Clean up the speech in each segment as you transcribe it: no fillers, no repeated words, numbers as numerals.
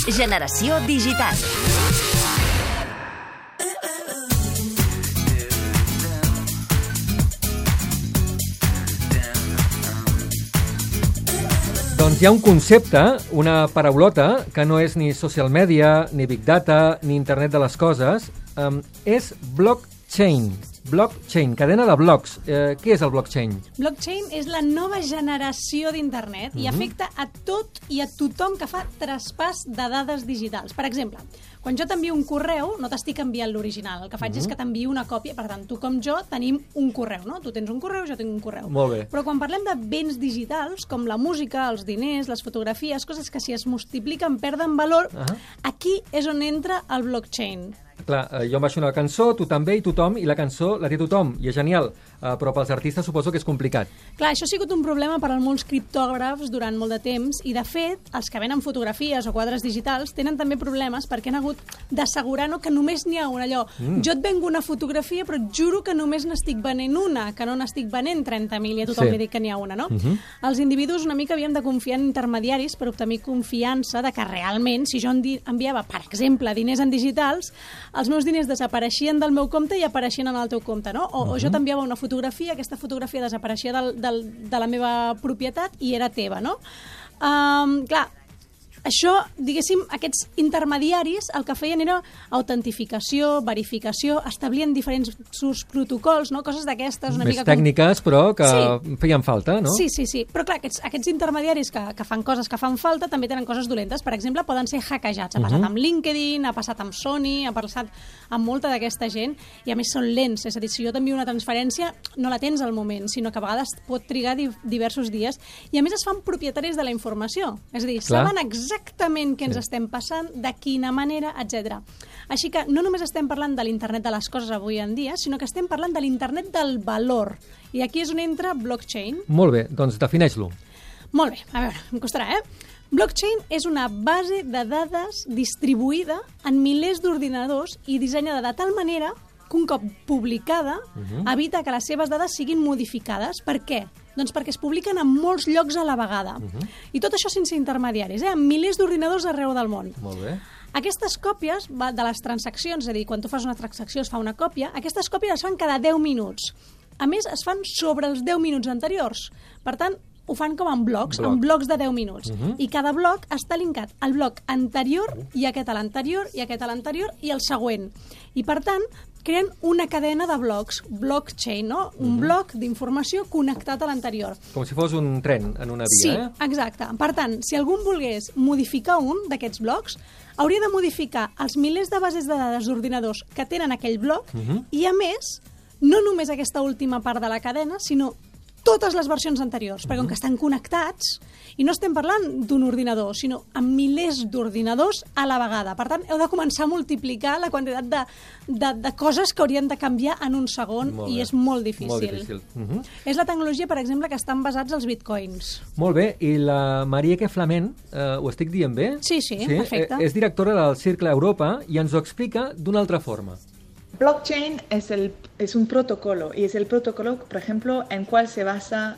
Generació Digital. Doncs hi ha un concepte, una paraulota, que no és ni social media, ni big data, ni internet de les coses, és blockchain. Blockchain, cadena de blocs. Què és el blockchain? Blockchain és la nova generació d'internet i afecta a tot i a tothom que fa traspàs de dades digitals. Per exemple, quan jo t'envio un correu, no t'estic enviant l'original. El que faig és que t'envio una còpia. Per tant, tu com jo tenim un correu, no? Tu tens un correu, jo tinc un correu. Molt bé. Però quan parlem de béns digitals, com la música, els diners, les fotografies, coses que si es multipliquen perden valor, aquí és on entra el blockchain. Clar, jo em baixo una cançó, tu també i tothom, i la cançó la té tothom, i és genial, però pels artistes suposo que és complicat. Clar, això ha sigut un problema per a molts criptògrafs durant molt de temps, i de fet, els que venen fotografies o quadres digitals tenen també problemes perquè han hagut d'assegurar que només n'hi ha una. Allò, jo et vengo una fotografia, però et juro que només n'estic venent una, que no n'estic venent 30.000 i a tothom li dic que n'hi ha una, no? Els individus una mica havíem de confiar en intermediaris per obtenir confiança de que realment, si jo enviava, per exemple, diners en digitals, els meus diners desapareixien del meu compte i apareixien en el teu compte, no? O jo t'enviava una fotografia, aquesta fotografia desapareixia de la meva propietat i era teva, no? Clar, això, diguéssim, aquests intermediaris el que feien era autentificació, verificació, establien diferents protocols, no? Coses d'aquestes una més mica tècniques, però que feien falta, no? Sí. Però clar, aquests intermediaris que fan coses que fan falta també tenen coses dolentes. Per exemple, poden ser hackejats. Ha passat amb LinkedIn, ha passat amb Sony, ha passat amb molta d'aquesta gent, i a més són lents. És a dir, si jo t'envio una transferència, no la tens al moment, sinó que a vegades pot trigar diversos dies, i a més es fan propietaris de la informació. És a dir, saben exactament què ens estem passant, de quina manera, etc. Així que no només estem parlant de l'internet de les coses avui en dia, sinó que estem parlant de l'internet del valor. I aquí és on entra blockchain. Molt bé, doncs defineix-lo. Molt bé, a veure, em costarà, Blockchain és una base de dades distribuïda en milers d'ordinadors i dissenyada de tal manera que un cop publicada evita que les seves dades siguin modificades. Per què? Doncs perquè es publiquen en molts llocs a la vegada. I tot això sense intermediaris, en milers d'ordinadors arreu del món. Molt bé. Aquestes còpies de les transaccions, és a dir, quan tu fas una transacció es fa una còpia, aquestes còpies es fan cada 10 minuts. A més, es fan sobre els 10 minuts anteriors. Per tant, ho fan com en blocs de 10 minuts. I cada bloc està linkat al bloc anterior i aquest a l'anterior i aquest a l'anterior i el següent. I per tant, creen una cadena de blocs, blockchain, no? Un bloc d'informació connectat a l'anterior. Com si fos un tren en una via, Sí, exacte. Per tant, si algú volgués modificar un d'aquests blocs, hauria de modificar els milers de bases de dades d'ordinadors que tenen aquell bloc i, a més, no només aquesta última part de la cadena, sinó totes les versions anteriors, perquè com que estan connectats, i no estem parlant d'un ordinador, sinó amb milers d'ordinadors a la vegada. Per tant, heu de començar a multiplicar la quantitat de coses que haurien de canviar en un segon, i és molt difícil. Molt difícil. És la tecnologia, per exemple, que estan basats als bitcoins. Molt bé, i la Marieke Flament, ho estic dient bé? Sí, perfecte. És directora del Cercle Europa i ens ho explica d'una altra forma. Blockchain es un protocolo y es el protocolo, por ejemplo, en cual se basa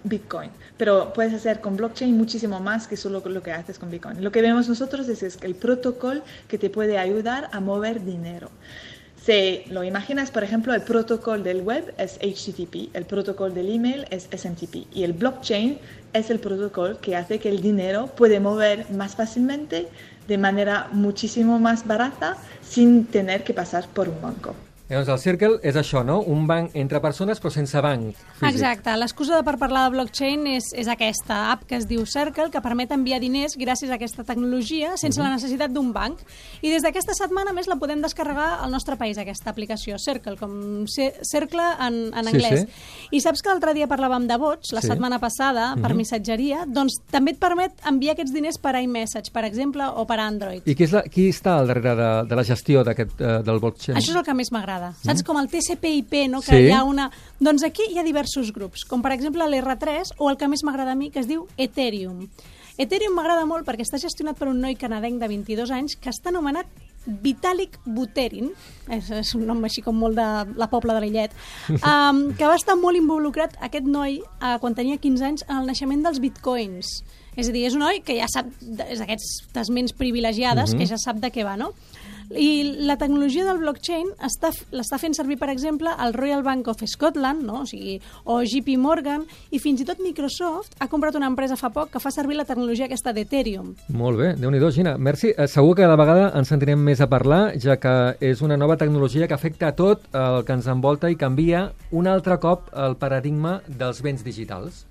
Bitcoin. Pero puedes hacer con blockchain muchísimo más que solo lo que haces con Bitcoin. Lo que vemos nosotros es el protocolo que te puede ayudar a mover dinero. Si lo imaginas, por ejemplo, el protocolo del web es HTTP, el protocolo del email es SMTP y el blockchain es el protocolo que hace que el dinero puede mover más fácilmente, de manera muchísimo más barata, sin tener que pasar por un banco. Llavors, el Circle és això, no? Un banc entre persones, però sense banc físic. Exacte. L'excusa per parlar de blockchain és aquesta app que es diu Circle, que permet enviar diners gràcies a aquesta tecnologia sense la necessitat d'un banc. I des d'aquesta setmana, més, la podem descarregar al nostre país, aquesta aplicació, Circle, com cercle en anglès. I saps que l'altre dia parlàvem de bots, la setmana passada, per missatgeria, doncs també et permet enviar aquests diners per iMessage, per exemple, o per Android. I qui està al darrere de la gestió del blockchain? Això és el que més m'agrada. Saps, com el TCP/IP, no? Que hi ha una... Doncs aquí hi ha diversos grups, com per exemple l'R3 o el que més m'agrada a mi, que es diu Ethereum. Ethereum m'agrada molt perquè està gestionat per un noi canadenc de 22 anys que està anomenat Vitalik Buterin, és un nom així com molt de la Pobla de Lillet, que va estar molt involucrat, aquest noi, quan tenia 15 anys, en el naixement dels bitcoins. És a dir, és un noi que ja sap, és d'aquestes ments privilegiades, que ja sap de què va, no? I la tecnologia del blockchain l'està fent servir, per exemple, el Royal Bank of Scotland, no? O JP Morgan, i fins i tot Microsoft ha comprat una empresa fa poc que fa servir la tecnologia aquesta d'Ethereum. Molt bé, Déu-n'hi-do, Gina. Merci. Segur que cada vegada ens sentirem més a parlar, ja que és una nova tecnologia que afecta a tot el que ens envolta i canvia un altre cop el paradigma dels béns digitals.